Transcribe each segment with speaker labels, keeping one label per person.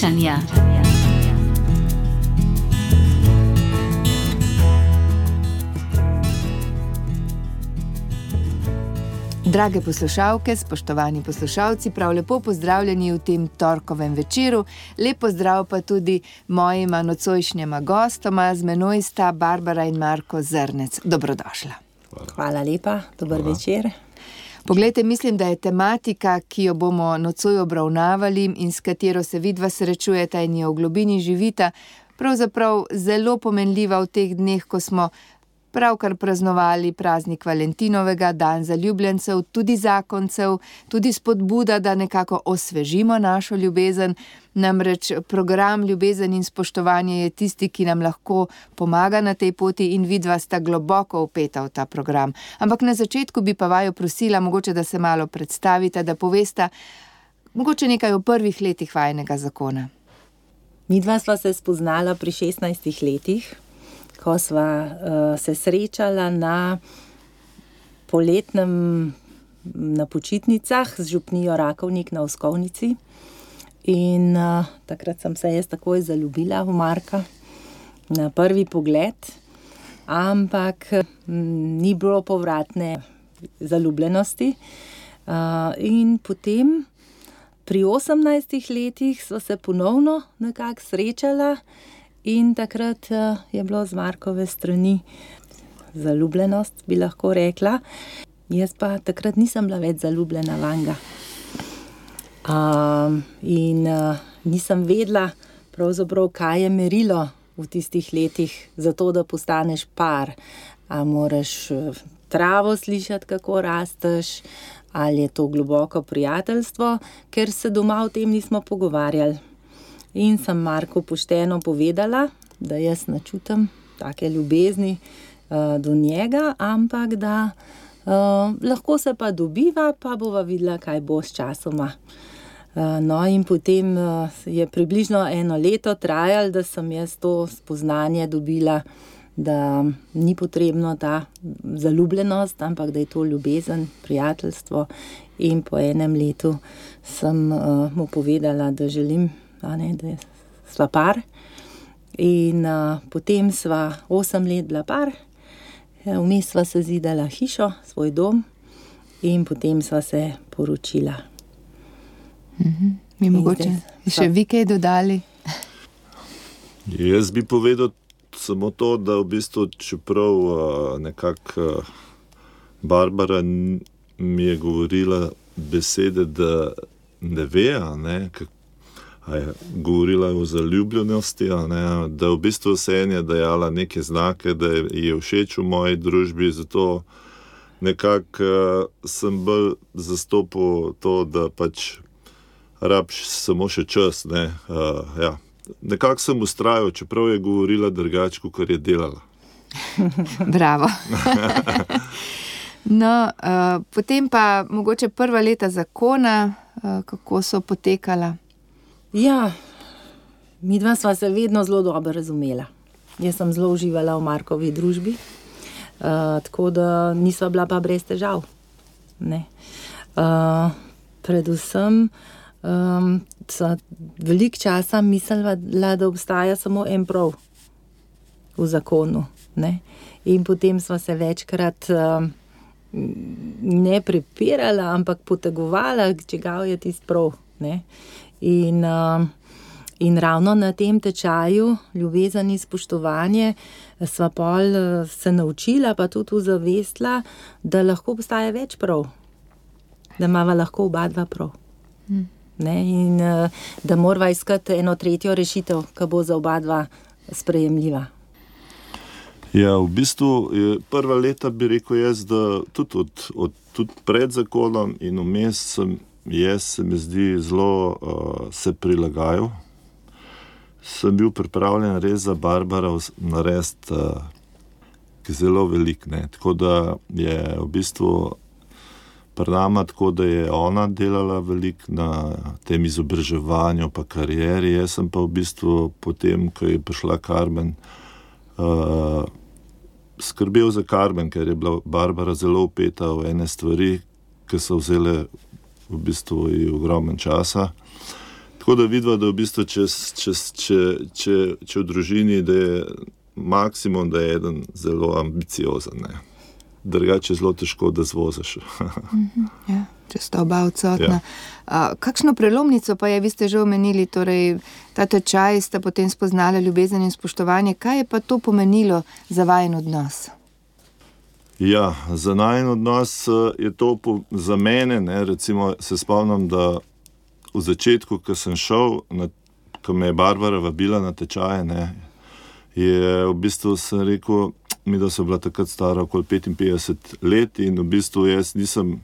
Speaker 1: srečanja.
Speaker 2: Drage poslušalke, spoštovani poslušalci, prav lepo pozdravljeni v tem torkovem večeru. Lep pozdrav pa tudi mojima nocojšnjema gostoma, z menoj sta Barbara in Marko Zrnec. Dobrodošla.
Speaker 3: Hvala lepa, dober večer.
Speaker 2: Poglejte, mislim, da je tematika, ki jo bomo nocoj obravnavali in s katero se vidva srečujeta in jo v globini živita, pravzaprav zelo pomenljiva v teh dneh, ko smo pravkar praznovali praznik Valentinovega, dan zaljubljencev, tudi zakoncev, tudi spodbuda, da nekako osvežimo našo ljubezen. Namreč program Ljubezen in spoštovanje je tisti, ki nam lahko pomaga na tej poti in vidva sta globoko vpeta v ta program. Ampak na začetku bi pa vaju prosila, mogoče da se malo predstavite, da povesta mogoče nekaj o prvih letih vajinega zakona.
Speaker 3: Midva sva se spoznala pri 16 letih, ko sva se srečala na poletnem na počitnicah z župnijo Rakovnik na Oskovnici. In takrat sem se jaz takoj zaljubila v Marka na prvi pogled, ampak ni bilo povratne zaljubljenosti. In potem pri 18 letih sva se ponovno nekako srečala in takrat je bilo z Markove strani zaljubljenost, bi lahko rekla. Jaz pa takrat nisem bila več zaljubljena vanga. In nisem vedela pravzaprav, kaj je merilo v tistih letih za to, da postaneš par. A moraš travo slišati, kako rasteš, ali je to globoko prijateljstvo, ker se doma o tem nismo pogovarjali. In sem Marku pošteno povedala, da jaz ne čutim take ljubezni do njega, ampak da lahko se pa dobiva, pa bova videla, kaj bo s časoma. No, in potem je približno 1 leto trajalo, da sem jaz to spoznanje dobila, da ni potrebno ta zaljubljenost, ampak da je to ljubezen, prijateljstvo. In po 1 letu sem mu povedala, da želim, da sva par. In potem sva 8 let bila par, vmes sva se zidala hišo, svoj dom in potem sva se poročila.
Speaker 2: Mi mogoče še vi kaj dodali?
Speaker 4: Jaz bi povedal samo to, da v bistvu, čeprav nekako Barbara mi je govorila besede, da ne ve, govorila je o zaljubljenosti, da v bistvu se je dajala neke znake, da je všeč v moji družbi, zato nekako sem bolj zastopil to, da pač rabiš samo še čas. Nekako sem vztrajal, čeprav je govorila drugače, kot je delala.
Speaker 2: Bravo. No, potem pa mogoče prva leta zakona, kako so potekala?
Speaker 3: Ja, midva sva se vedno zelo dobro razumela. Jaz sem zelo uživala v Markovi družbi, tako da nisva bila pa brez težav. Predvsem sva veliko časa mislila, da obstaja samo en prav v zakonu. In potem sva se večkrat ne prepirala, ampak potegovala, čigav je tisti prav. In ravno na tem tečaju ljubezen in spoštovanje sva pol se naučila, pa tudi uzavestila, da lahko obstaja več prav. Da imava lahko oba dva prav. In da morava iskati eno tretjo rešitev, ki bo za oba dva sprejemljiva.
Speaker 4: Ja, v bistvu prva leta bi rekel jaz, da tudi pred zakonom in vmes se mi zdi zelo se prilagajal. Sem bil pripravljen res za Barbara narediti zelo velik. Tako da je v bistvu pri nama tako, da je ona delala veliko na tem izobraževanju pa karieri. Jaz sem pa v bistvu potem, ko je prišla Karmen, skrbel za Karmen, ker je bila Barbara zelo vpeta v ene stvari, ki so vzele v bistvu ogromen časa. Tako da vidva, da v bistvu, če v družini, da je maksimum, da je eden zelo ambiciozen, ne. Drugače je zelo težko, da zvoziš.
Speaker 2: Ja, če sta oba odsotna. Kakšno prelomnico pa je, vi ste že omenili, torej ta tečaj sta potem spoznala ljubezen in spoštovanje. Kaj je pa to pomenilo za vajen odnos?
Speaker 4: Ja, za najin odnos je to za mene, ne, recimo se spomnim, da v začetku, ko sem šel, ko me je Barbara vabila na tečaje, ne, je v bistvu sem rekel, mi da so bila takrat stara okoli 55 let in v bistvu jaz nisem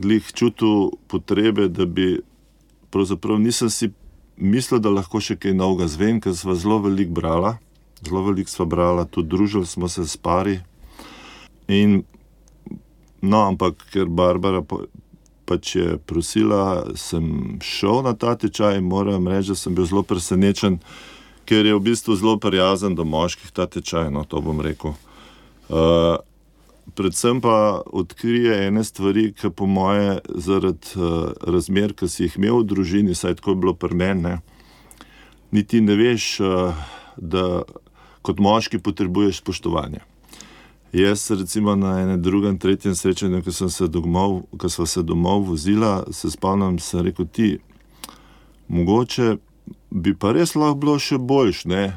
Speaker 4: glih čutil potrebe, da bi, pravzaprav nisem si mislil, da lahko še kaj novega zvem, ker sva zelo veliko brala, tudi družili smo se s pari. In, no, ampak ker Barbara pač je prosila, sem šel na ta tečaj in moram reči, da sem bil zelo presenečen, ker je v bistvu zelo prijazen do moških ta tečaj, no, to bom rekel. Predvsem pa odkrije ene stvari, ki po moje zaradi razmer, ki si jih imel v družini, saj tako je bilo pri meni, ne, niti ne veš, da kot moški potrebuješ spoštovanje. Jaz recimo na enem drugem, tretjem srečanju, ko sva se domov vozila, se spomnim, sem rekel, ti, mogoče bi pa res lahko bilo še boljš, ne,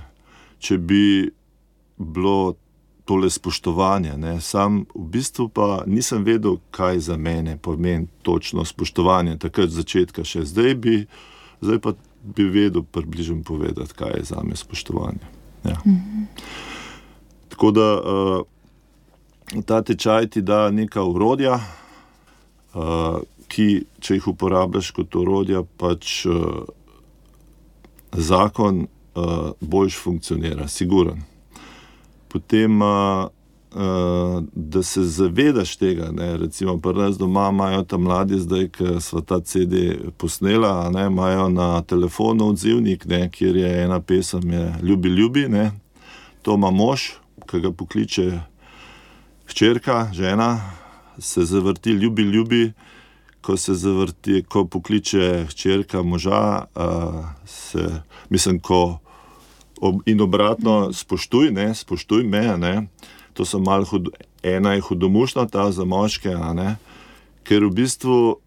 Speaker 4: če bi bilo tole spoštovanje, ne, sam v bistvu pa nisem vedel, kaj za mene pomeni točno spoštovanje, takrat z začetka še, zdaj pa bi vedel približno povedati, kaj je zame spoštovanje. Ja. Tako da ta tečaj ti da neka orodja, ki, če jih uporabljaš kot orodja, pač zakon boljš funkcionira, siguren. Potem, da se zavedaš tega, ne, recimo pri nas doma imajo ta mladi zdaj, ko sva ta CD posnela, ne, imajo na telefonu odzivnik, ne, kjer je ena pesem, je Ljubi, ljubi, ne, to ima mož, ki ga pokliče hčerka, žena, se zavrti Ljubi, ljubi, ko pokliče hčerka moža, in obratno, spoštuj me, ne, to so malo ena je hudomušna ta za moške, ne, ker v bistvu,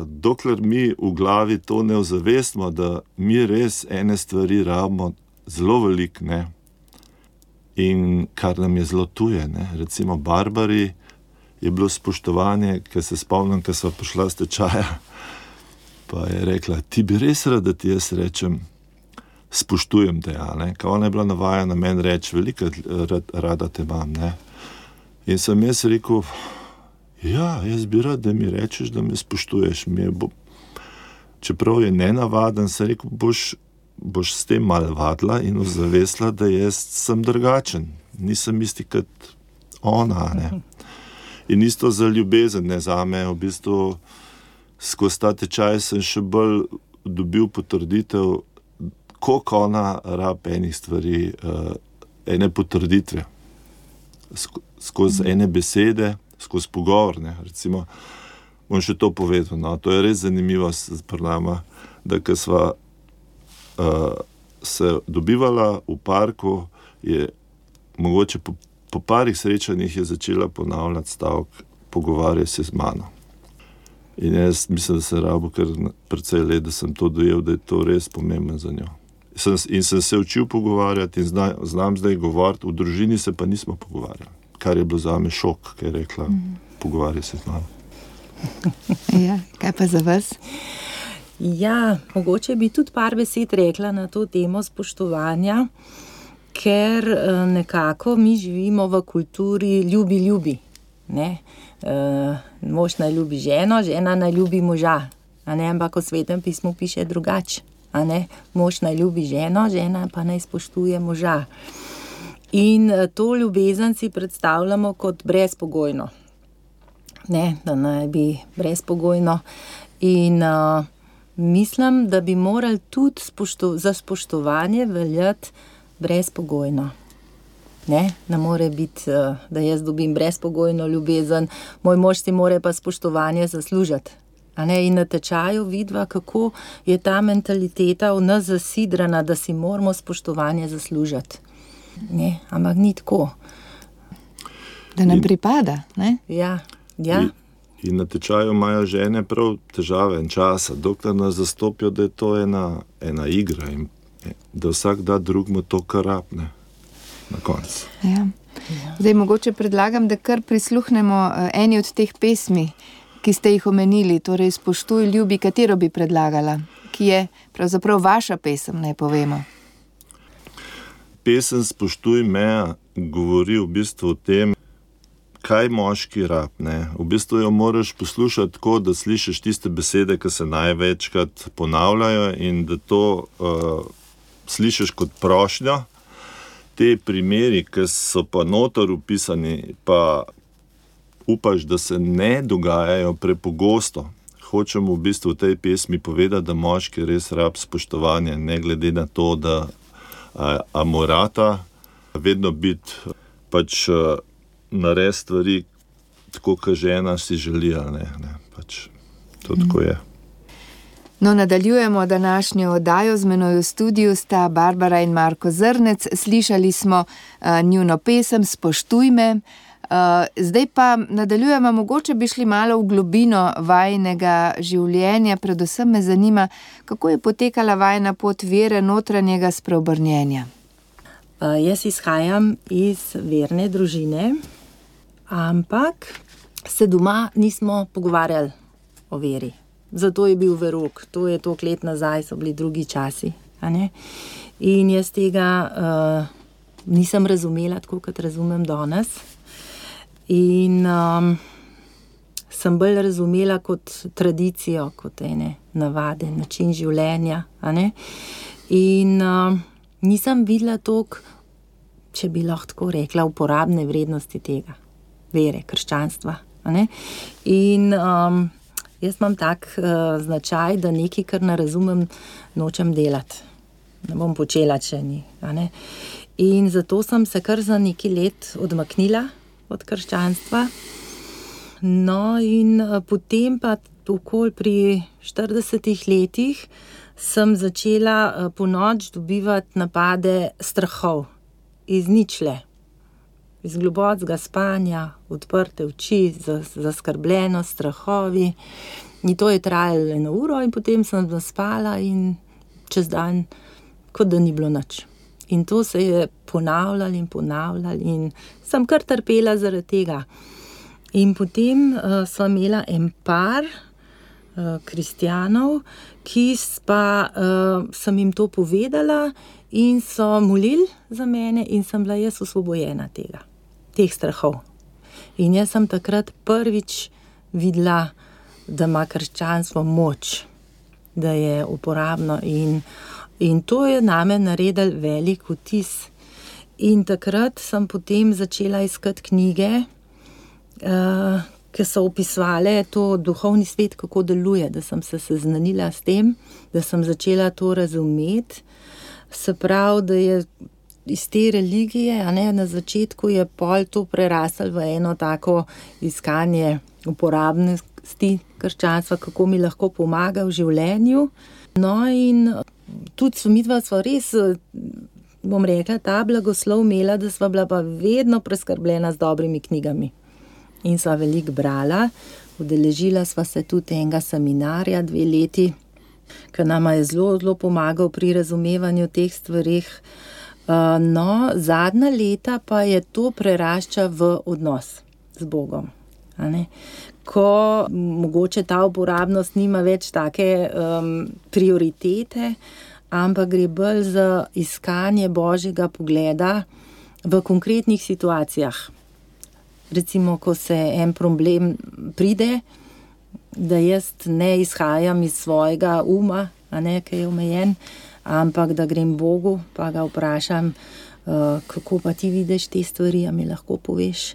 Speaker 4: dokler mi v glavi to ne ozavestimo, da mi res ene stvari rabimo zelo veliko, ne, in kar nam je zelo tuje, ne, recimo Barbari je bilo spoštovanje, ker se spomnim, ko sva prišla s tečaja, pa je rekla, ti bi res rad, da ti jaz rečem, spoštujem te, ne, ka ona je bila navajena meni reči, veliko rada te imam, ne. In sem jaz rekel, ja, jaz bi rad, da mi rečeš, da me spoštuješ, čeprav je nenavaden, sem rekel, boš s tem malo vadila in ozavestila, da jaz sem drugačen, nisem isti kot ona, ne. In isto za ljubezen, ne, zame, v bistvu, skozi ta tečaj sem še bolj dobil potrditev, koliko ona rab enih stvari, ene potrditve, skozi ene besede, skozi pogovor, ne, recimo, bom še to povedal, no, to je res zanimivo pri nama, da ko sva se dobivala v parku, je mogoče po parih srečanjih je začela ponavljati stavek, pogovarjaj se z mano. In jaz mislim, da sem rabil kar precej let, da sem to dojel, da je to res pomembno za njo. In sem se učil pogovarjati in znam zdaj govoriti, v družini se pa nismo pogovarjali, kar je bilo zame šok, ker je rekla, pogovarjaj se z mano.
Speaker 2: Ja, kaj pa za vas?
Speaker 3: Ja, mogoče bi tudi par besed rekla na to temo spoštovanja, ker nekako mi živimo v kulturi ljubi, ne. Mož naj ljubi ženo, žena naj ljubi moža, a ne, ampak v Svetem pismu piše drugače, a ne, mož naj ljubi ženo, žena pa naj spoštuje moža. In to ljubezen si predstavljamo kot brezpogojno, ne, da naj bi brezpogojno in mislim, da bi morali tudi za spoštovanje veljati brezpogojno. Ne more biti, da jaz dobim brezpogojno ljubezen, moj mož si more pa spoštovanje zaslužiti. In na tečaju vidva, kako je ta mentaliteta v nas zasidrana, da si moramo spoštovanje zaslužiti. Ne, ampak ni tako.
Speaker 2: Da nam pripada, ne?
Speaker 3: Ja.
Speaker 4: In na tečaju imajo žene prav težave in časa, dokler nas zastopijo, da je to ena igra in da vsak da drugmu to, kar rabne na koncu.
Speaker 2: Ja. Zdaj, mogoče predlagam, da kar prisluhnemo eni od teh pesmi, ki ste jih omenili, torej Spoštuj, ljubi, katero bi predlagala, ki je pravzaprav vaša pesem, naj povemo.
Speaker 4: Pesem Spoštuj me govori v bistvu o tem, kaj moški rab, ne. V bistvu jo moraš poslušati tako, da slišiš tiste besede, ki se največkrat ponavljajo in da to slišiš kot prošnjo. Te primeri, ki so pa noter upisani, pa upaš, da se ne dogajajo prepogosto. Hočem v bistvu v tej pesmi povedati, da moški res rab spoštovanje, ne glede na to, da morata vedno biti pač narediti stvari tako, kot žena si želi, ali ne. Pač to tako je.
Speaker 2: No, nadaljujemo današnjo oddajo. Z menoj v studiu sta Barbara in Marko Zrnec. Slišali smo njuno pesem Spoštuj me. Zdaj pa nadaljujemo, mogoče bi šli malo v globino vajinega življenja. Predvsem me zanima, kako je potekala vajina pot vere, notranjega spreobrnjenja.
Speaker 3: Jaz izhajam iz verne družine, ampak se doma nismo pogovarjali o veri. Zato je bil verok, to je toliko let nazaj, so bili drugi časi. In jaz tega nisem razumela tako, kot razumem danes. In sem bolj razumela kot tradicijo, kot ene navade, način življenja. In nisem videla toliko, če bi lahko tako rekla, uporabne vrednosti tega, vere, krščanstva. In jaz imam tak značaj, da nekaj, kar ne razumem, nočem delati. Ne bom počela, če ni. In zato sem se kar za nekaj let odmaknila od krščanstva. No, in potem pa okoli pri 40 letih sem začela ponoči dobivati napade strahov iz ničle. Iz globokega spanja, odprte oči, zaskrbljenost, strahovi. In to je trajalo 1 uro in potem sem zaspala in čez dan, kot da ni bilo nič. In to se je ponavljalo in sem kar trpela zaradi tega. In potem sva imela en par kristjanov, ki pa sem jim to povedala in so molili za mene in sem bila jaz osvobojena teh strahov. In jaz sem takrat prvič videla, da ima krščanstvo moč, da je uporabno in to je name naredil velik vtis. In takrat sem potem začela iskati knjige, ki so opisovale to duhovni svet, kako deluje, da sem se seznanila s tem, da sem začela to razumeti. Se pravi, da je iz te religije, na začetku je pol to preraslo v eno tako iskanje uporabnosti krščanstva, kako mi lahko pomaga v življenju. No in tudi midva sva res, bom rekla, ta blagoslov imela, da sva bila pa vedno preskrbljena z dobrimi knjigami. In sva veliko brala, udeležila sva se tudi enega seminarja 2 leti, ki nama je zelo, zelo pomagal pri razumevanju teh stvarih. No, zadnja leta pa je to prerašča v odnos z Bogom. Ko mogoče ta uporabnost nima več take prioritete, ampak gre bolj za iskanje Božjega pogleda v konkretnih situacijah. Recimo, ko se en problem pride, da jaz ne izhajam iz svojega uma, ki je omejen, ampak da grem Bogu, pa ga vprašam, kako pa ti vidiš te stvari, a mi lahko poveš.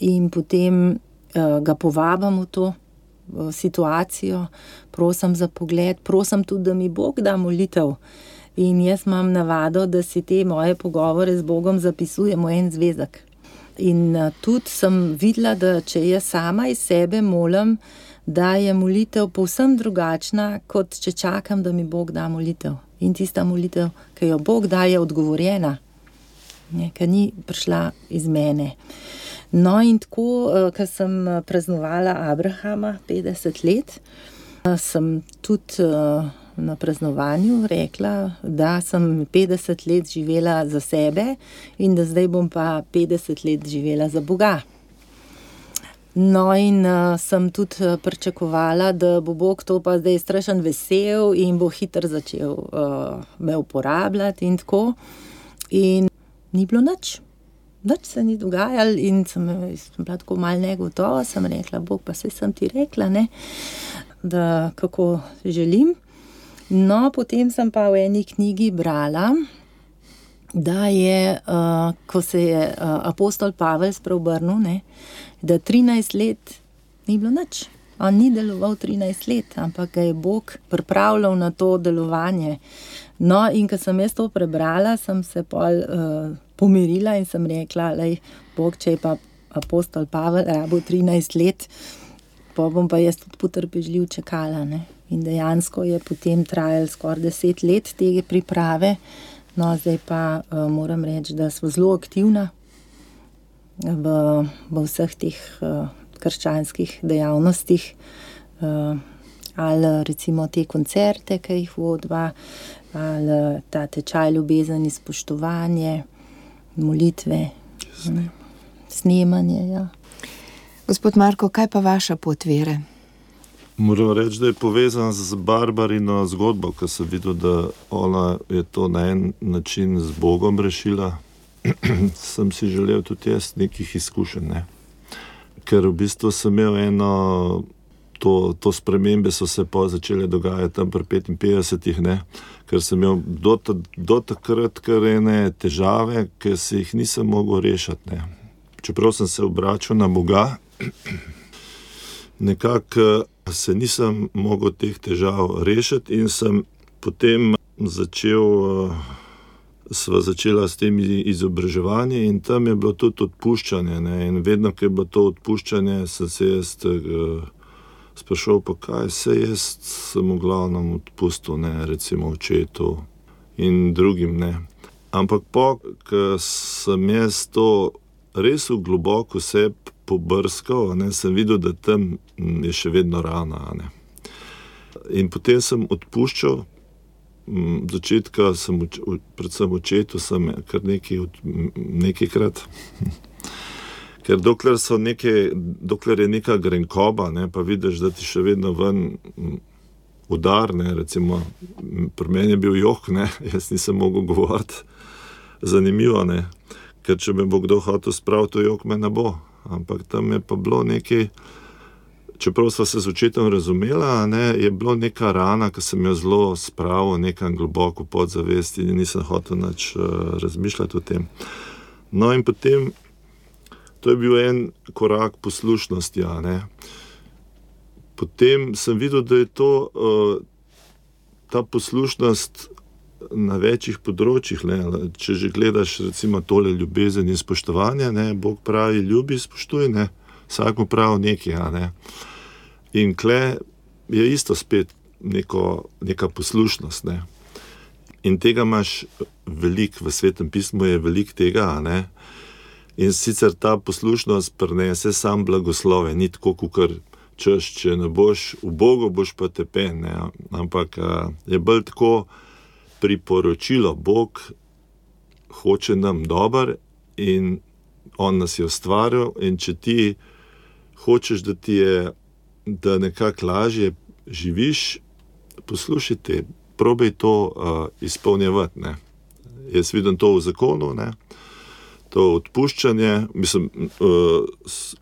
Speaker 3: In potem ga povabim v to situacijo, prosim za pogled, prosim tudi, da mi Bog da molitev. In jaz imam navado, da si te moje pogovore z Bogom zapisujem v en zvezek. In tudi sem videla, da če jaz sama iz sebe molim, da je molitev povsem drugačna, kot če čakam, da mi Bog da molitev. In tista molitev, ki jo Bog da, je odgovorjena, ki ni prišla iz mene. No in tako, ko sem praznovala Abrahama 50 let, sem tudi na praznovanju rekla, da sem 50 let živela za sebe in da zdaj bom pa 50 let živela za Boga. No in sem tudi pričakovala, da bo Bog to pa zdaj strašen vesel in bo hitro začel me uporabljati in tako. In ni bilo nič. Nič se ni dogajalo in sem bila tako malo negotova, sem rekla, Bog, pa saj sem ti rekla, ne, da kako želim. No, potem sem pa v eni knjigi brala, da je, ko se je apostol Pavel spreobrnil, ne, da 13 let ni bilo nič. On ni deloval 13 let, ampak ga je Bog pripravljal na to delovanje. No, in ko sem jaz to prebrala, sem se pol pomirila in sem rekla, lej, Bog, če je pa apostol Pavel rabil 13 let, pa bom pa jaz tudi potrpežljiv čakala, ne. In dejansko je potem trajalo skoraj 10 let tega priprave. No, zdaj pa moram reči, da smo zelo aktivna v vseh teh krščanskih dejavnostih. Ali recimo te koncerte, ki jih vodiva, ali ta tečaj ljubezen in spoštovanje, molitve, snemanje, ja.
Speaker 2: Gospod Marko, kaj pa vaša pot vere?
Speaker 4: Moram reči, da je povezan z Barbarino zgodbo, ko sem videl, da ona je to na en način z Bogom rešila. Sem si želel tudi jaz nekih izkušenj, ne. Ker v bistvu sem imel to spremembe so se pa začele dogajati tam pri 55, ne. Ker sem imel do takrat kar ene težave, ker si jih nisem mogel rešiti, ne. Čeprav sem se obračal na Boga, nekako se nisem mogel teh težav rešiti in sem potem sva začela s tem izobraževanje in tam je bilo tudi odpuščanje, ne, in vedno, ko je bilo to odpuščanje, sem se jaz sprašal, pa kaj se jaz sem v glavnem odpustil, ne, recimo očetu in drugim, ne. Ampak ko sem jaz to res v globoko sebi pobrskal, ne, sem videl, da tam je še vedno rana, ne. In potem sem odpuščal, začetka sem, predvsem očetu, sem kar nekajkrat, ker dokler je neka grenkoba, ne, pa vidiš, da ti še vedno ven udar, ne, recimo, pri meni je bil jok, ne, jaz nisem mogel govoriti, zanimivo, ne, ker če me bo kdo hotel spraviti, to jok me ne bo. Ampak tam je pa bilo nekaj, čeprav sva se z očetom razumela, ne, je bilo neka rana, ki sem jo zelo spravil nekam globoko podzavesti in nisem hotel nič razmišljati o tem. No in potem, to je bil en korak poslušnosti, ne. Potem sem videl, da je to, ta poslušnost na večjih področjih, ne. Če že gledaš recimo tole ljubezen in spoštovanje, ne, Bog pravi, ljubi, spoštuj, ne, vsak mu pravi nekaj, ne. In kle je isto spet neka poslušnost, ne. In tega imaš veliko, v Svetem pismu je veliko tega, ne. In sicer ta poslušnost prinese sam blagoslove, ni tako, kakor češ, če ne boš, v Bogu boš pa tepen, ne. Ampak je bolj tako priporočilo, Bog hoče nam dobro in on nas je ustvaril in če ti hočeš, da nekako lažje živiš, poslušajte, probaj to izpolnjevati, ne. Jaz vidim to v zakonu, ne. To odpuščanje,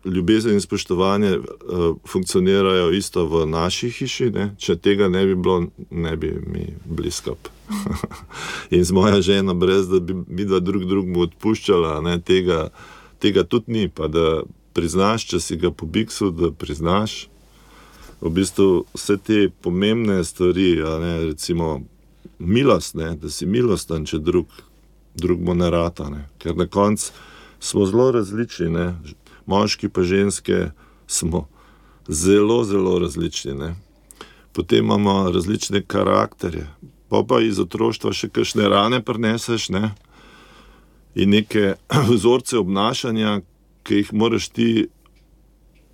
Speaker 4: ljubezen in spoštovanje funkcionirajo isto v naši hiši, ne. Če tega ne bi bilo, ne bi mi bili skupaj. In z moja žena, brez da bi midva drugemu odpuščala, ne, tega tudi ni, pa da priznaš, če si ga pobiksil, da priznaš v bistvu vse te pomembne stvari, ne, recimo milost, ne, da si milosten, če drugemu ne rata, ne, ker na koncu smo zelo različni, ne, moški pa ženske smo zelo, zelo različni, ne. Potem imamo različne karakterje, pa iz otroštva še kakšne rane prineseš, ne, in neke vzorce obnašanja, ki jih moraš ti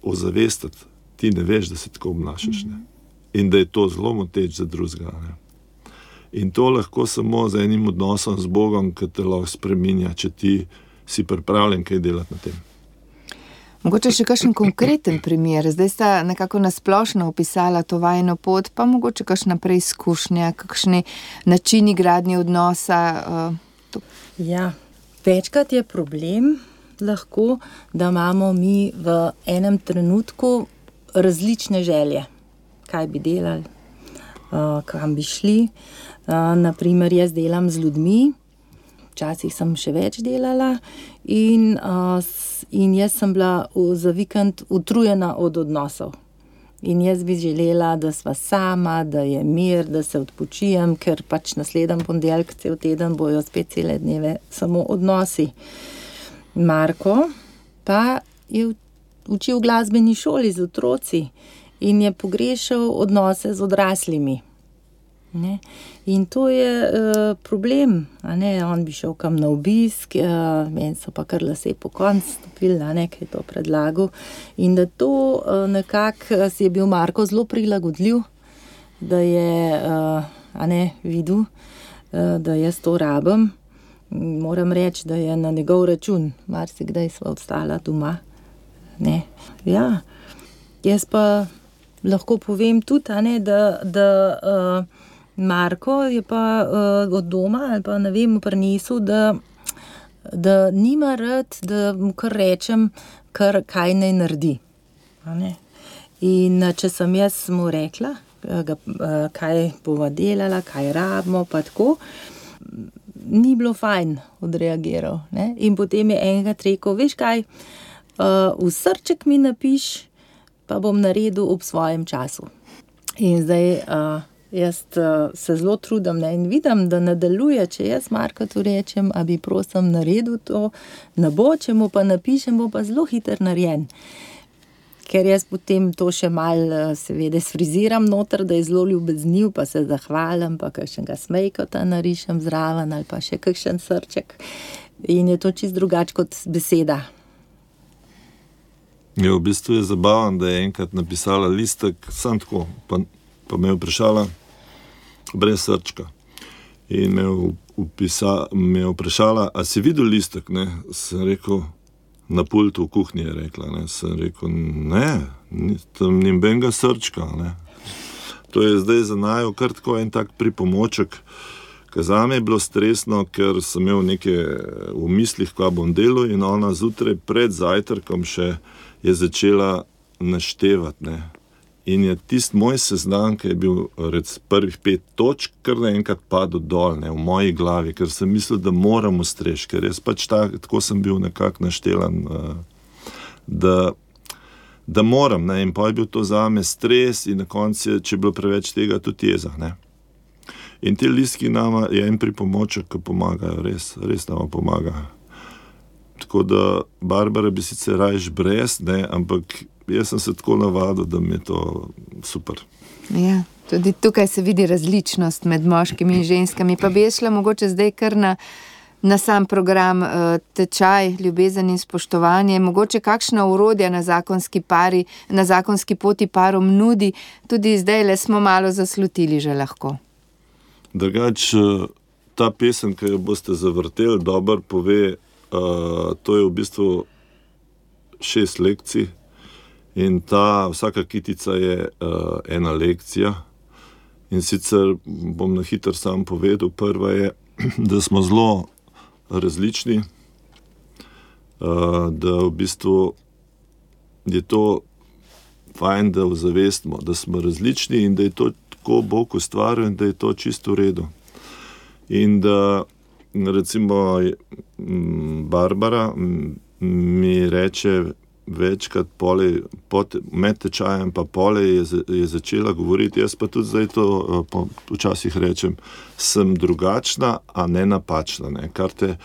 Speaker 4: ozavestiti. Ti ne veš, da se tako obnašaš, ne. In da je to zelo moteč za drugega, ne. In to lahko samo z enim odnosom z Bogom, ki te lahko spreminja, če ti si pripravljen kaj delati na tem.
Speaker 2: Mogoče še kakšen konkreten primer. Zdaj sta nekako nasplošno opisala to vajino pot, pa mogoče kakšna preizkušnja, kakšni načini gradnje odnosa.
Speaker 3: Ja, večkrat je problem lahko, da imamo mi v enem trenutku različne želje. Kaj bi delali, kam bi šli. Naprimer, jaz delam z ljudmi, včasih sem še več delala in jaz sem bila za vikend utrujena od odnosov. In jaz bi želela, da sva sama, da je mir, da se odpočijem, ker pač naslednji ponedeljek cel teden bojo spet cele dneve samo odnosi. Marko pa je učil v glasbeni šoli z otroci in je pogrešal odnose z odraslimi. Ne? In to je problem, a ne, on bi šel kam na obisk, meni so pa kar lase po koncu stopili, a ne, kaj je to predlagal. In da to nekako si je bil Marko zelo prilagodljiv, da je, a ne, videl, da jaz to rabim. Moram reči, da je na njegov račun, marsikdaj sva ostala doma. Ne? Ja, jaz pa lahko povem tudi, a ne, da Marko je pa od doma ali pa ne vem prinesel, da nima rad, da mu kar rečem, kaj naj naredi. A ne? In če sem jaz mu rekla, kaj bova delala, kaj rabimo, pa tako, ni bilo fajn odreagiral. Ne? In potem je enkrat rekel, veš kaj, v srček mi napiš, pa bom naredil ob svojem času. In zdaj jaz se zelo trudim, ne, in vidim, da nadaljuje, če jaz Markotu rečem, a bi prosim naredil to, ne bo, če mu pa napišem, bo pa zelo hiter narejen. Ker jaz potem to še malo seveda sfriziram noter, da je zelo ljubezniv, pa se zahvalim, pa kakšnega smejkota narišem zraven ali pa še kakšen srček. In je to čisto drugače kot beseda.
Speaker 4: Ja, v bistvu je zabaven, da je enkrat napisala listek, sam tako, pa me je vprašala brez srčka. In me je vprašala, a si videl listek, ne? Sem rekel, na pultu v kuhinji je rekla, ne? Sem rekel, ne, tam ni benga srčka, ne? To je zdaj za naju kar tako en tak pripomoček, ker zame je bilo stresno, ker sem imel neke v mislih, kaj bom delal, in ona zjutraj pred zajtrkom še je začela naštevati, ne. In je tisti moj seznam, ki je bil prvih 5 točk, kar naenkrat padel dol, ne, v moji glavi, ker sem mislil, da moram ustreči, ker jaz pač tako sem bil nekako naštelan, da moram, ne, in pa je bil to zame stres in na koncu, če je bilo preveč tega, tudi jeza, ne. In te listki nama je en pripomoček, ki pomagajo, res nama pomagajo. Tako da Barbara bi sicer rajš brez, ne, ampak jaz sem se tako navadil, da mi je to super.
Speaker 2: Ja, tudi tukaj se vidi različnost med moškimi in ženskami. Pa bi šla mogoče zdaj kar na sam program tečaj, ljubezen in spoštovanje. Mogoče kakšna orodja na zakonski poti parom nudi, tudi zdaj le smo malo zaslutili že lahko.
Speaker 4: Drugač, ta pesem, ki jo boste zavrteli, dobro pove, to je v bistvu 6 lekcij in vsaka kitica je ena lekcija. In sicer bom na hitro sam povedal, prva je, da smo zelo različni, da v bistvu je to fajn, da ozavestimo, da smo različni in da je to tako Bog ustvaril in da je to čisto v redu. In da recimo Barbara mi reče večkrat med tečajem pa pole je začela govoriti, jaz pa tudi zdaj to včasih rečem, sem drugačna, a ne napačna, ne, kar te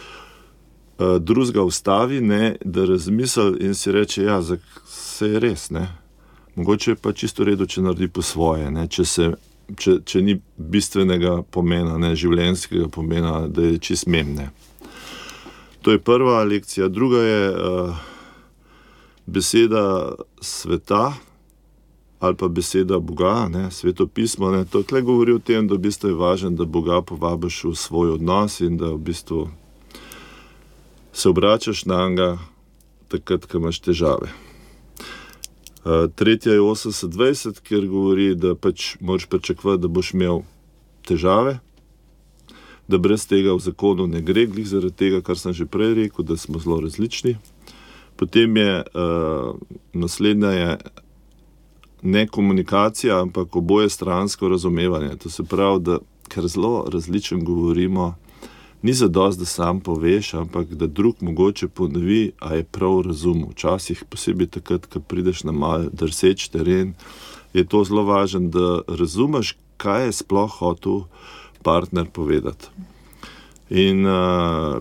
Speaker 4: drugega ustavi, ne, da razmisli in si reče, ja, se je res, ne. Mogoče je pa čisto v redu, če naredi po svoje, ne? Če ni bistvenega pomena, ne, življenjskega pomena, da je čist memne. To je prva lekcija. Druga je beseda sveta ali pa beseda Boga, ne, Sveto pismo. Ne. To tle govori o tem, da v bistvu je važno, da Boga povabiš v svoj odnos in da v bistvu se obračaš na njega takrat, ko imaš težave. Tretja je 80-20, kjer govori, da pač moraš pričakovati, da boš imel težave, da brez tega v zakonu ne gre, glih zaradi tega, kar sem že prej rekel, da smo zelo različni. Potem je naslednja je ne komunikacija, ampak oboje stransko razumevanje. To se pravi, da ker zelo različno govorimo, ni zadosti, da sam poveš, ampak da drug mogoče ponovi, a je prav razumel. Včasih, posebej takrat, ko prideš na mal drseč teren, je to zelo važno, da razumeš, kaj je sploh hotel partner povedati. In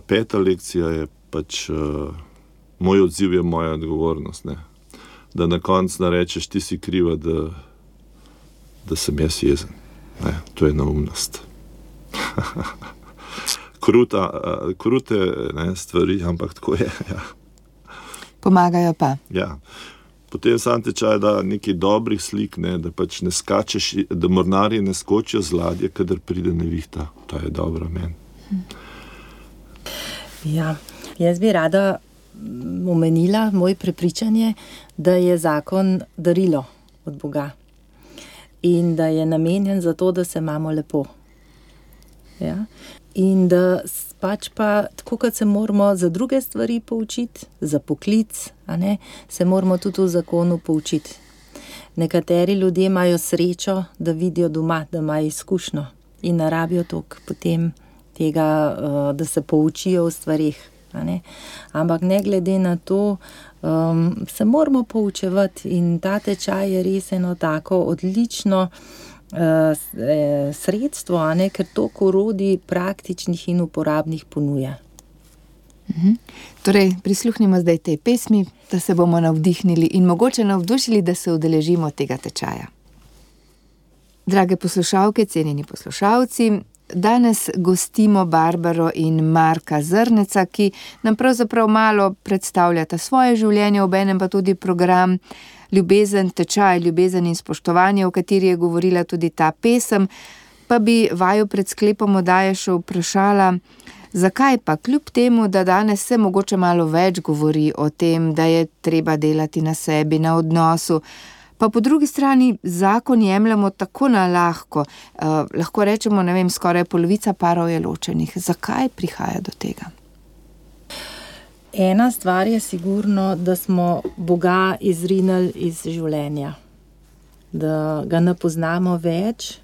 Speaker 4: peta lekcija je pač, moj odziv je moja odgovornost, ne. Da na koncu narečeš, ti si kriva, da sem jaz jezen. Ne, to je neumnost. Krute ne, stvari, ampak tako je. Ja.
Speaker 2: Pomagajo pa.
Speaker 4: Ja. Potem sam tečaj da nekaj dobrih slik, ne, da pač ne skačeš, da mornarji ne skočijo z ladje, kadar pride nevihta. To je dobro meni.
Speaker 3: Ja, jaz bi rada omenila moje prepričanje, da je zakon darilo od Boga in da je namenjen za to, da se imamo lepo. Ja? In da pač pa, tako kot se moramo za druge stvari poučiti, za poklic, a ne, se moramo tudi v zakonu poučiti. Nekateri ljudje imajo srečo, da vidijo doma, da imajo izkušnjo in ne rabijo toliko potem tega, da se poučijo o stvarih. Ampak ne glede na to, se moramo poučevati in ta tečaj je res eno tako odlično sredstvo, ker toliko orodij praktičnih in uporabnih ponuja.
Speaker 2: Torej, prisluhnimo zdaj tej pesmi, da se bomo navdihnili in mogoče navdušili, da se udeležimo tega tečaja. Drage poslušalke, cenjeni poslušalci, danes gostimo Barbaro in Marka Zrneca, ki nam pravzaprav malo predstavljata svoje življenje, obenem pa tudi program Ljubezen, tečaj, ljubezen in spoštovanje, o kateri je govorila tudi ta pesem, pa bi vaju pred sklepom oddaje še vprašala, zakaj pa kljub temu, da danes se mogoče malo več govori o tem, da je treba delati na sebi, na odnosu, pa po drugi strani zakon jemljemo tako na lahko, lahko rečemo, ne vem, skoraj polovica parov je ločenih. Zakaj prihaja do tega?
Speaker 3: Ena stvar je sigurno, da smo Boga izrinili iz življenja, da ga ne poznamo več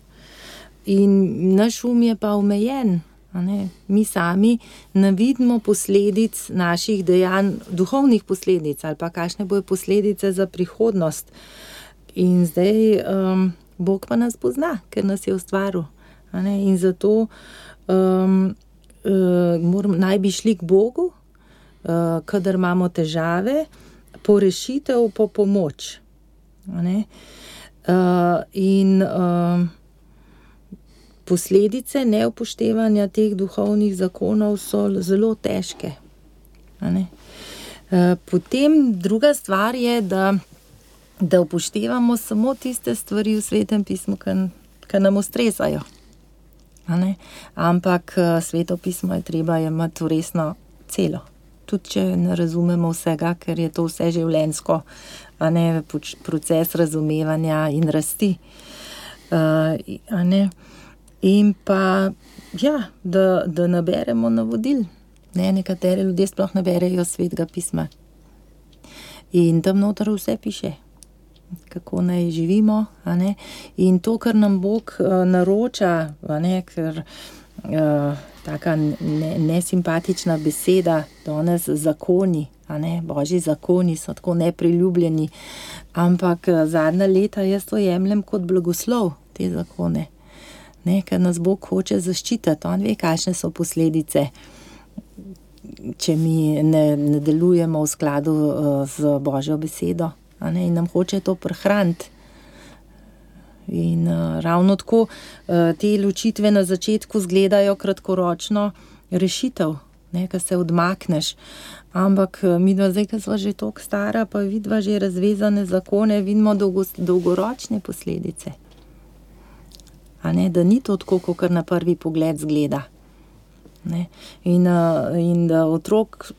Speaker 3: in naš je pa omejen. Mi sami ne vidimo posledic naših dejanj, duhovnih posledic ali pa kakšne bojo posledice za prihodnost. In zdaj Bog pa nas pozna, ker nas je ustvaril. In zato naj bi šli k Bogu, kadar imamo težave, po rešitev, po pomoč. In posledice neupoštevanja teh duhovnih zakonov so zelo težke. Potem druga stvar je, da upoštevamo samo tiste stvari v Svetem pismu, ki nam ustrezajo. Ampak Sveto pismo je treba imeti resno celo. Tudi če ne razumemo vsega, ker je to vse življenjsko, proces razumevanja in rasti. In pa, ja, da naberemo navodil. Nekateri ljudje sploh ne berejo Svetega pisma. In tam noter vse piše, kako naj živimo. In to, kar nam Bog naroča, ker taka nesimpatična beseda, danes zakoni, Božji zakoni so tako nepriljubljeni, ampak zadnja leta jaz to jemljem kot blagoslov, te zakone. Ker nas Bog hoče zaščititi, on ve, kakšne so posledice, če mi ne delujemo v skladu z Božjo besedo. in nam hoče to prehraniti. In ravno tako te ločitve na začetku izgledajo kratkoročno rešitev, ko se odmakneš. Ampak midva zdaj, ko sva že toliko stara, pa vidva že razvezane zakone, vidimo dolgoročne posledice. Da ni to tako, kot na prvi pogled zgleda. In da otrok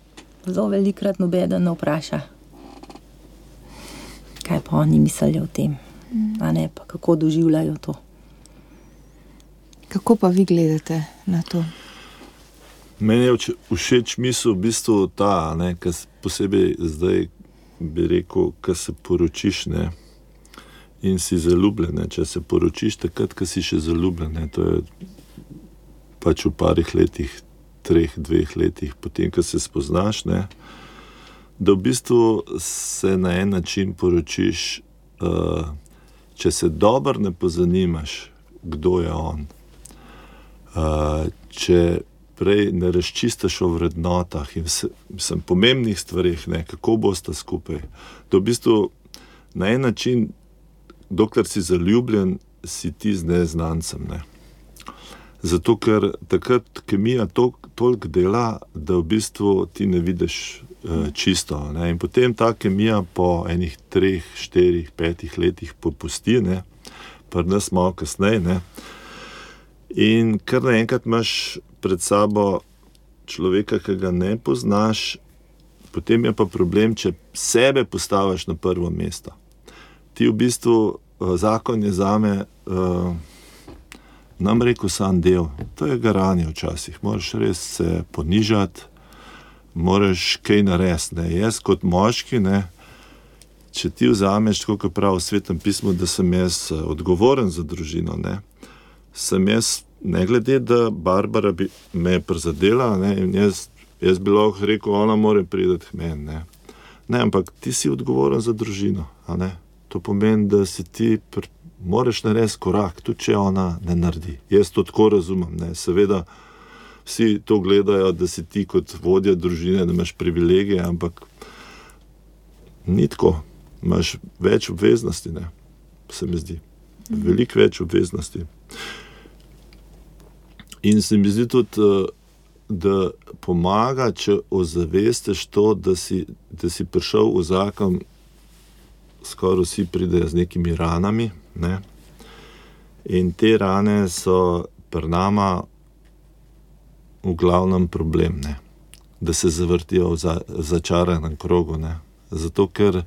Speaker 3: zelo velikrat nobeden ne vpraša, kaj pa oni mislijo o tem, pa kako doživljajo to.
Speaker 2: Kako pa vi gledate na to?
Speaker 4: Meni je všeč misel v bistvu ta, kar posebej zdaj bi rekel, ko se poročiš, in si zaljubljen. Če se poročiš takrat, ko si še zaljubljen, to je pač v parih letih, 2 letih, potem, ko se spoznaš, da v bistvu se na en način poročiš, če se dobro ne pozanimaš, kdo je on, če prej ne razčistaš o vrednotah in pomembnih stvarih, kako boste skupaj. To v bistvu na en način, dokler si zaljubljen, si ti z neznancem. Zato, ker takrat kemija toliko dela, da v bistvu ti ne vidiš čisto. In potem ta kemija po enih 3, 4, 5 letih popusti, pa nas malo kasneje. In kar naenkrat imaš pred sabo človeka, ki ga ne poznaš, potem je pa problem, če sebe postaviš na prvo mesto. Ti v bistvu, zakon je zame, nam rekel sam del, to je garanje včasih, moraš res se ponižati, moraš kaj narediti. Jaz kot moški, če ti vzameš, tako kot pravi v Svetem pismu, da sem jaz odgovoren za družino, sem jaz, ne glede, da Barbara me je prizadela, in jaz bi lahko rekel, ona mora priti k meni. Ampak ti si odgovoren za družino. To pomeni, da si ti moraš narediti korak, tudi če ona ne naredi. Jaz to tako razumem. Seveda vsi to gledajo, da si ti kot vodja družine, da imaš privilegije, ampak ni tako. Imaš več obveznosti, se mi zdi. Veliko več obveznosti. In se mi zdi tudi, da pomaga, če ozavestiš to, da si prišel v zakon, skoraj vsi pridejo z nekimi ranami, in te rane so pri nama v glavnem problem, da se zavrtijo v začaranem krogu. Zato, ker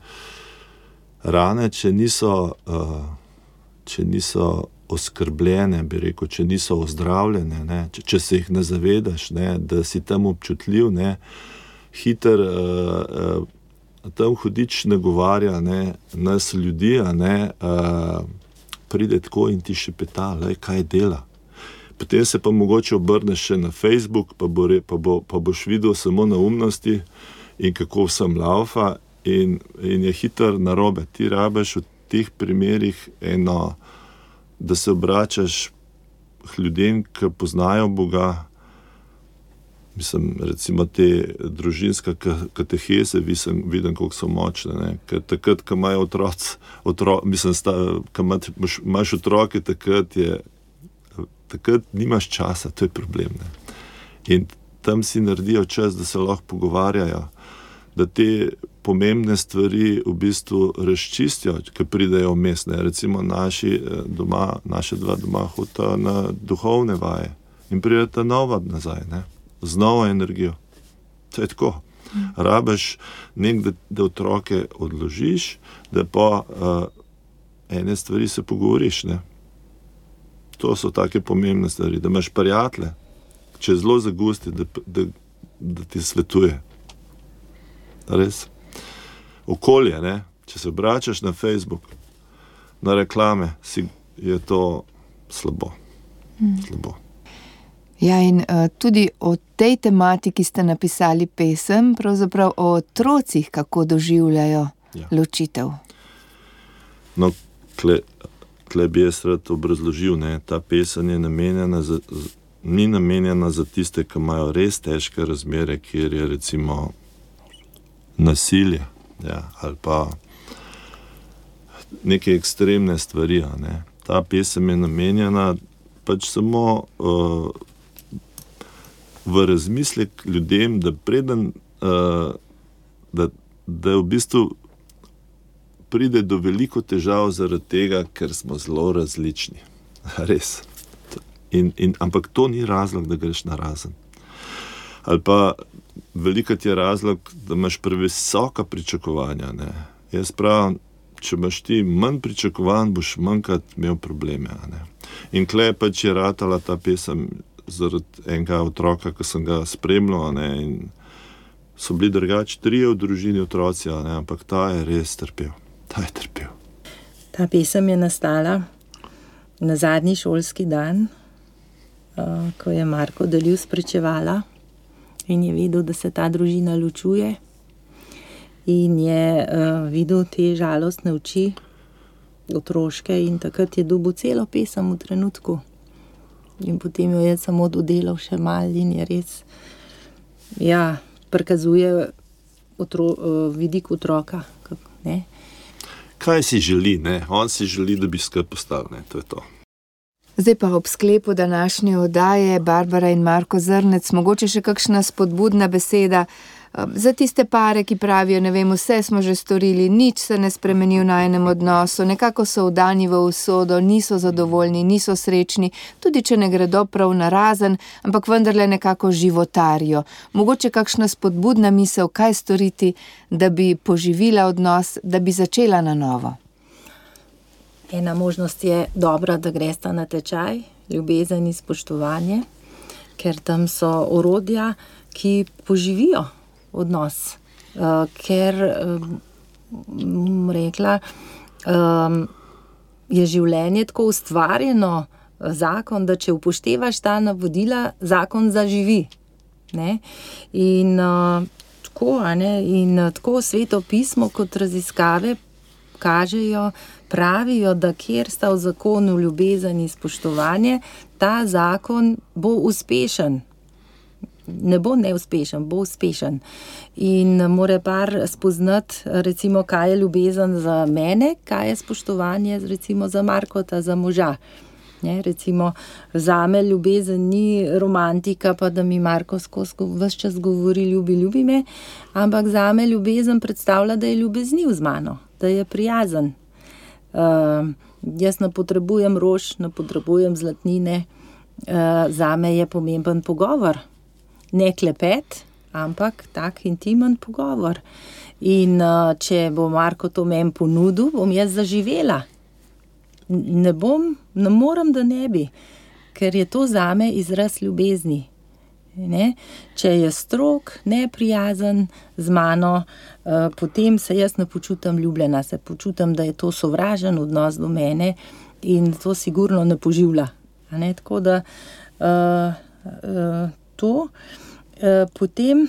Speaker 4: rane, če niso oskrbljene, bi rekel, če niso ozdravljene, če se jih ne zavedaš, da si tam občutljiv, hiter tam hudič nagovarja, nas ljudi, pride tako in ti šepeta, kaj dela. Potem se pa mogoče obrneš še na Facebook, pa boš videl samo neumnosti in kako vsem laufa in je hiter narobe. Ti rabiš v teh primerih da se obračaš k ljudem, ki poznajo Boga. Mislim, recimo te družinske kateheze, vidim, koliko so močne. Ker takrat, ko imajo imaš otroke, takrat nimaš časa, to je problem. In tam si naredijo čas, da se lahko pogovarjajo, da te pomembne stvari v bistvu razčistijo, ki pridejo vmes. Recimo naše 2 doma hodita na duhovne vaje in prideta nova nazaj, z novo energijo. To je tako. Rabiš da otroke odložiš, da pa ene stvari se pogovoriš. To so take pomembne stvari, da imaš prijatelje, če je zelo zagusti, da ti svetuje. Res. Okolje, če se obračaš na Facebook, na reklame, je to slabo. Slabo.
Speaker 2: Ja, in tudi o tej tematiki ste napisali pesem, pravzaprav o otrocih, kako doživljajo ločitev.
Speaker 4: No, tle bi jaz rad obrazložil, ta pesem je ni namenjena za tiste, ki imajo res težke razmere, kjer je recimo nasilje, ali pa neke ekstremne stvari, ne. Ta pesem je namenjena pač samo v razmislek ljudem, da preden, da v bistvu pride do veliko težav zaradi tega, ker smo zelo različni. Res. Ampak to ni razlog, da greš narazen. Ali pa velikokrat je razlog, da imaš previsoka pričakovanja, ne. Jaz pravim, če imaš ti manj pričakovanj, boš manjkrat imel probleme, ne. In tule pač je ratala ta pesem zaradi enega otroka, ki sem ga spremljal, ne, in so bili drugače 3 v družini otroci, ne, ampak ta je res trpel. Ta je trpel.
Speaker 3: Ta pesem je nastala na zadnji šolski dan, ko je Marko delil spričevala in je vedel, da se ta družina ločuje in je videl te žalostne oči otroške in takrat je dobil celo pesem v trenutku. In potem jo je samo dodelal še malo in je res, ja, prikazuje vidik otroka, ne.
Speaker 4: Kaj si želi, ne? On si želi, da bi skupaj postali, ne? To je to.
Speaker 2: Zdaj pa ob sklepu današnje oddaje, Barbara in Marko Zrnec, mogoče še kakšna spodbudna beseda za tiste pare, ki pravijo, ne vem, vse smo že storili, nič se ne spremeni v najinem odnosu, nekako so vdani v usodo, niso zadovoljni, niso srečni, tudi če ne gredo prav narazen, ampak vendarle nekako životarijo. Mogoče kakšna spodbudna misel, kaj storiti, da bi poživila odnos, da bi začela na novo.
Speaker 3: Ena možnost je dobra, da gresta na tečaj, ljubezen in spoštovanje, ker tam so orodja, ki poživijo odnos, ker, rekla, je življenje tako ustvarjeno, zakon, da če upoštevaš ta navodila, zakon zaživi, ne, in tako, in tako Sveto pismo kot raziskave kažejo, pravijo, da kjer sta v zakonu ljubezen in spoštovanje, ta zakon bo uspešen. Ne bo neuspešen, bo uspešen. In mora par spoznati, recimo, kaj je ljubezen za mene, kaj je spoštovanje, recimo, za Markota, za moža. Ne, recimo, zame ljubezen ni romantika, pa da mi Marko ves čas govori ljubi me, ampak zame ljubezen predstavlja, da je ljubezniv z mano, da je prijazen. Jaz ne potrebujem rož, ne potrebujem zlatnine, zame je pomemben pogovor. Ne klepet, ampak tak intimen pogovor. In če bo Marko to meni ponudil, bom jaz zaživela. Ne morem, da ne bi, ker je to zame izraz ljubezni. Ne? Če je strog, neprijazen z mano, potem se jaz ne počutim ljubljena, se počutim, da je to sovražen odnos do mene in to sigurno ne poživlja. Ne? Tako da to. Potem,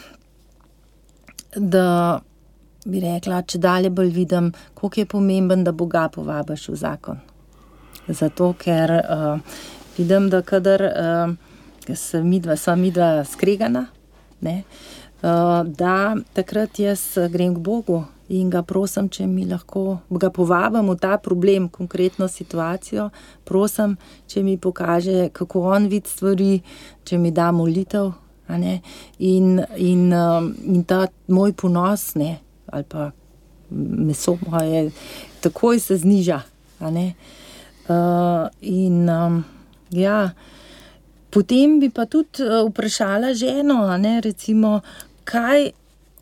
Speaker 3: da bi rekla, če dalje bolj vidim, koliko je pomemben, da Boga povabiš v zakon. Zato, ker vidim, da kadar sva midva skregana, ne, da takrat jaz grem k Bogu in ga prosim, če mi lahko, ga povabim v ta problem, konkretno situacijo, prosim, če mi pokaže, kako on vidi stvari, če mi da molitev, a ne, in ta moj ponos, ne, ali pa meso moje, takoj se zniža, a ne. Ja, potem bi pa tudi vprašala ženo, a ne, recimo, kaj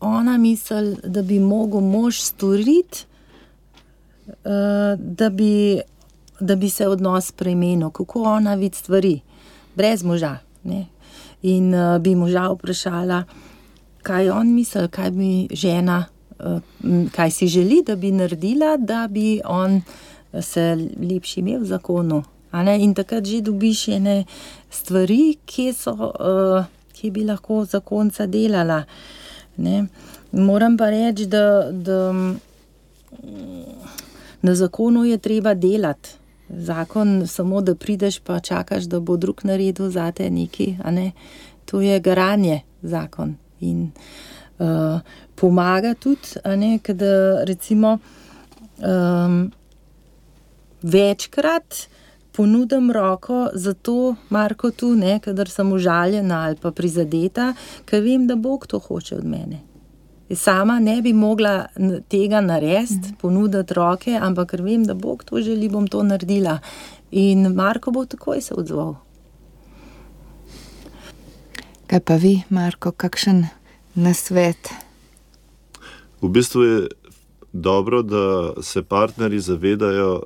Speaker 3: ona misli, da bi mogel mož storiti, da bi se odnos spremenil, kako ona vidi stvari, brez moža, ne. In bi moža vprašala, kaj on misli, kaj bi žena, kaj si želi, da bi naredila, da bi on se lepši imel v zakonu. A ne? In takrat že dobiš ene stvari, ki bi lahko zakonca delala. Ne? Moram pa reči, da na zakonu je treba delati. Zakon samo, da prideš pa čakaš, da bo drug naredil zate nekaj, a ne. To je garanje, zakon. In pomaga tudi, a ne, kada recimo večkrat ponudim roko za to, Marko, tu, ne, kadar sem užaljena ali pa prizadeta, ker vem, da Bog to hoče od mene. Sama ne bi mogla tega narediti, ponuditi roke, ampak ker vem, da Bog to želi, bom to naredila. In Marko bo takoj se odzval.
Speaker 2: Kaj pa vi, Marko, kakšen nasvet?
Speaker 4: V bistvu je dobro, da se partnerji zavedajo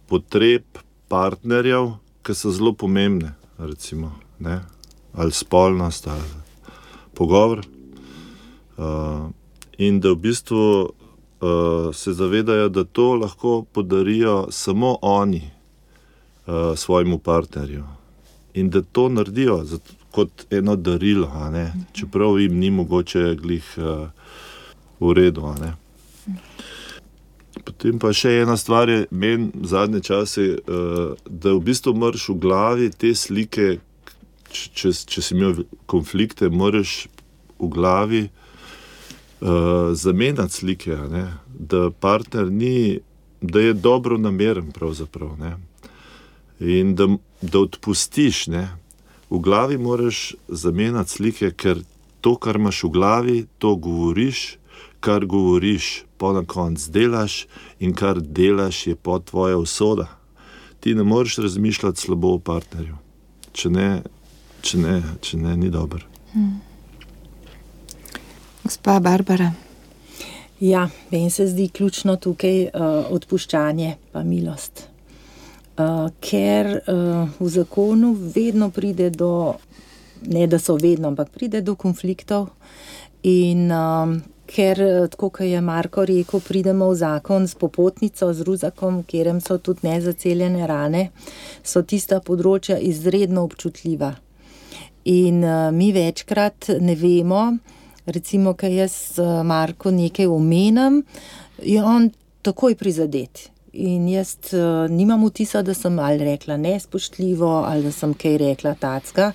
Speaker 4: potreb partnerjev, ki so zelo pomembne, recimo, ne? Ali spolnost, ali pogovor. In da v bistvu se zavedajo, da to lahko podarijo samo oni svojemu partnerju. In da to naredijo kot eno darilo, a ne? Čeprav jim ni mogoče glih v redu, a ne. Potem pa še ena stvar je, meni zadnje čase, da v bistvu moraš v glavi te slike, če si imel konflikte, moraš v glavi zamenjati slike, a ne. Da partner ni, da je dobro nameren pravzaprav, ne. In da odpustiš, ne. V glavi moraš zamenjati slike, ker to, kar imaš v glavi, to govoriš, kar govoriš, pa na koncu delaš in kar delaš, je pa tvoja usoda. Ti ne moreš razmišljati slabo o partnerju. Če ne, ni dobro.
Speaker 2: Gospa Barbara.
Speaker 3: Ja, meni se zdi ključno tukaj odpuščanje pa milost. Ker v zakonu vedno pride do, ne da so vedno, ampak pride do konfliktov in ker, tako kot je Marko rekel, pridemo v zakon s popotnico, z ruzakom, kjerem so tudi nezaceljene rane, so tista področja izredno občutljiva. In mi večkrat ne vemo, recimo, kaj jaz Marko nekaj omenim, je on takoj prizadet. In jaz nimam vtisa, da sem ali rekla nespoštljivo, ali da sem kaj rekla tacka.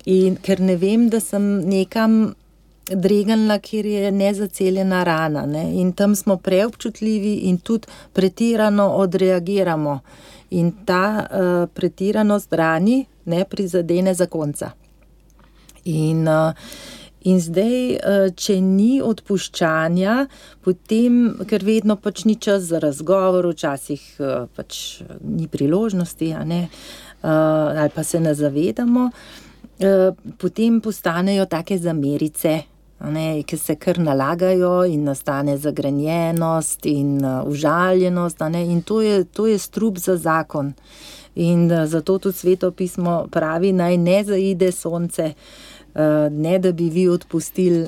Speaker 3: In ker ne vem, da sem nekam dregnila, kjer je nezaceljena rana, ne? In tam smo preobčutljivi in tudi pretirano odreagiramo. In ta pretiranost rani ne prizadene zakonca. In zdaj, če ni odpuščanja, potem, ker vedno pač ni čas za razgovor, včasih pač ni priložnosti, a ne, ali pa se ne zavedamo, potem postanejo take zamerice, a ne, ki se kar nalagajo in nastane zagrenjenost in užaljenost, a ne, in to je strup za zakon. In zato tudi Sveto pismo pravi, naj ne zaide sonce, ne da bi vi odpustili,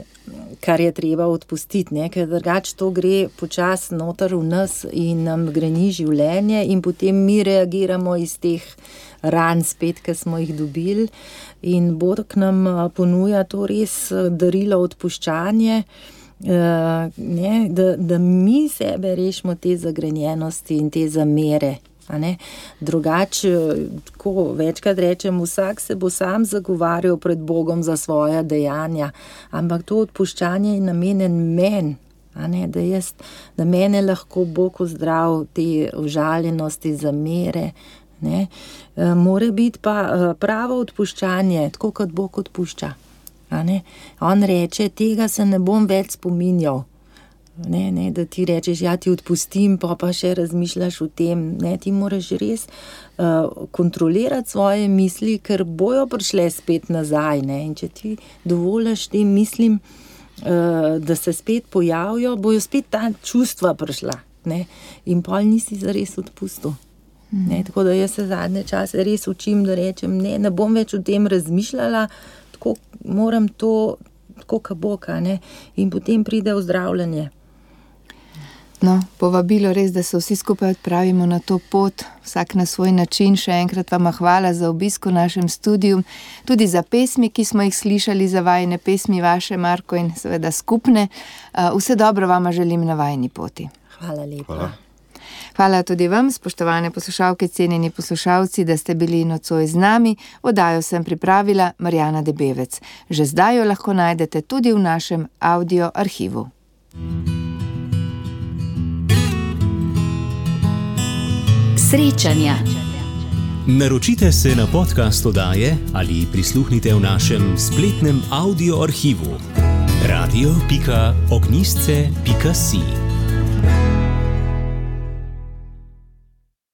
Speaker 3: kar je treba odpustiti, ne? Ker drugače to gre počasi noter v nas in nam greni življenje in potem mi reagiramo iz teh ran spet, ki smo jih dobili, in Bog nam ponuja to res darilo odpuščanje, ne? Da mi sebe rešimo te zagrenjenosti in te zamere. Drugače, tako večkrat rečem, vsak se bo sam zagovarjal pred Bogom za svoja dejanja, ampak to odpuščanje je namenjen meni, da mene lahko Bog ozdrav te užaljenosti, zamere, ne. More biti pa pravo odpuščanje, tako kot Bog odpušča, On reče, tega se ne bom več spominjal. Ne, da ti rečeš, ja, ti odpustim, pa še razmišljaš o tem. Ne, ti moraš res kontrolirati svoje misli, ker bojo prišle spet nazaj. Ne, in če ti dovoliš tem mislim, da se spet pojavijo, bojo spet ta čustva prišla. Ne, in pol nisi zares odpustil. Ne, tako da jaz se zadnje čase res učim, da rečem, ne bom več o tem razmišljala, tako moram to, tako kot Bog, ne, in potem pride ozdravljanje.
Speaker 2: No, povabilo res, da se vsi skupaj odpravimo na to pot, vsak na svoj način. Še enkrat vam hvala za obisk v našem studiu, tudi za pesmi, ki smo jih slišali, za vajine pesmi vaše, Marko, in seveda skupne. Vse dobro vama želim na vajini poti.
Speaker 3: Hvala lepa.
Speaker 2: Hvala tudi vam, spoštovane poslušalke, cenjeni poslušalci, da ste bili nocoj z nami. Oddajo sem pripravila Marjana Debevec. Že zdaj jo lahko najdete tudi v našem audio arhivu.
Speaker 1: Srečanja.
Speaker 5: Naročite se na podcast oddaje ali prisluhnite v našem spletnem audio arhivu radio.ognisce.si.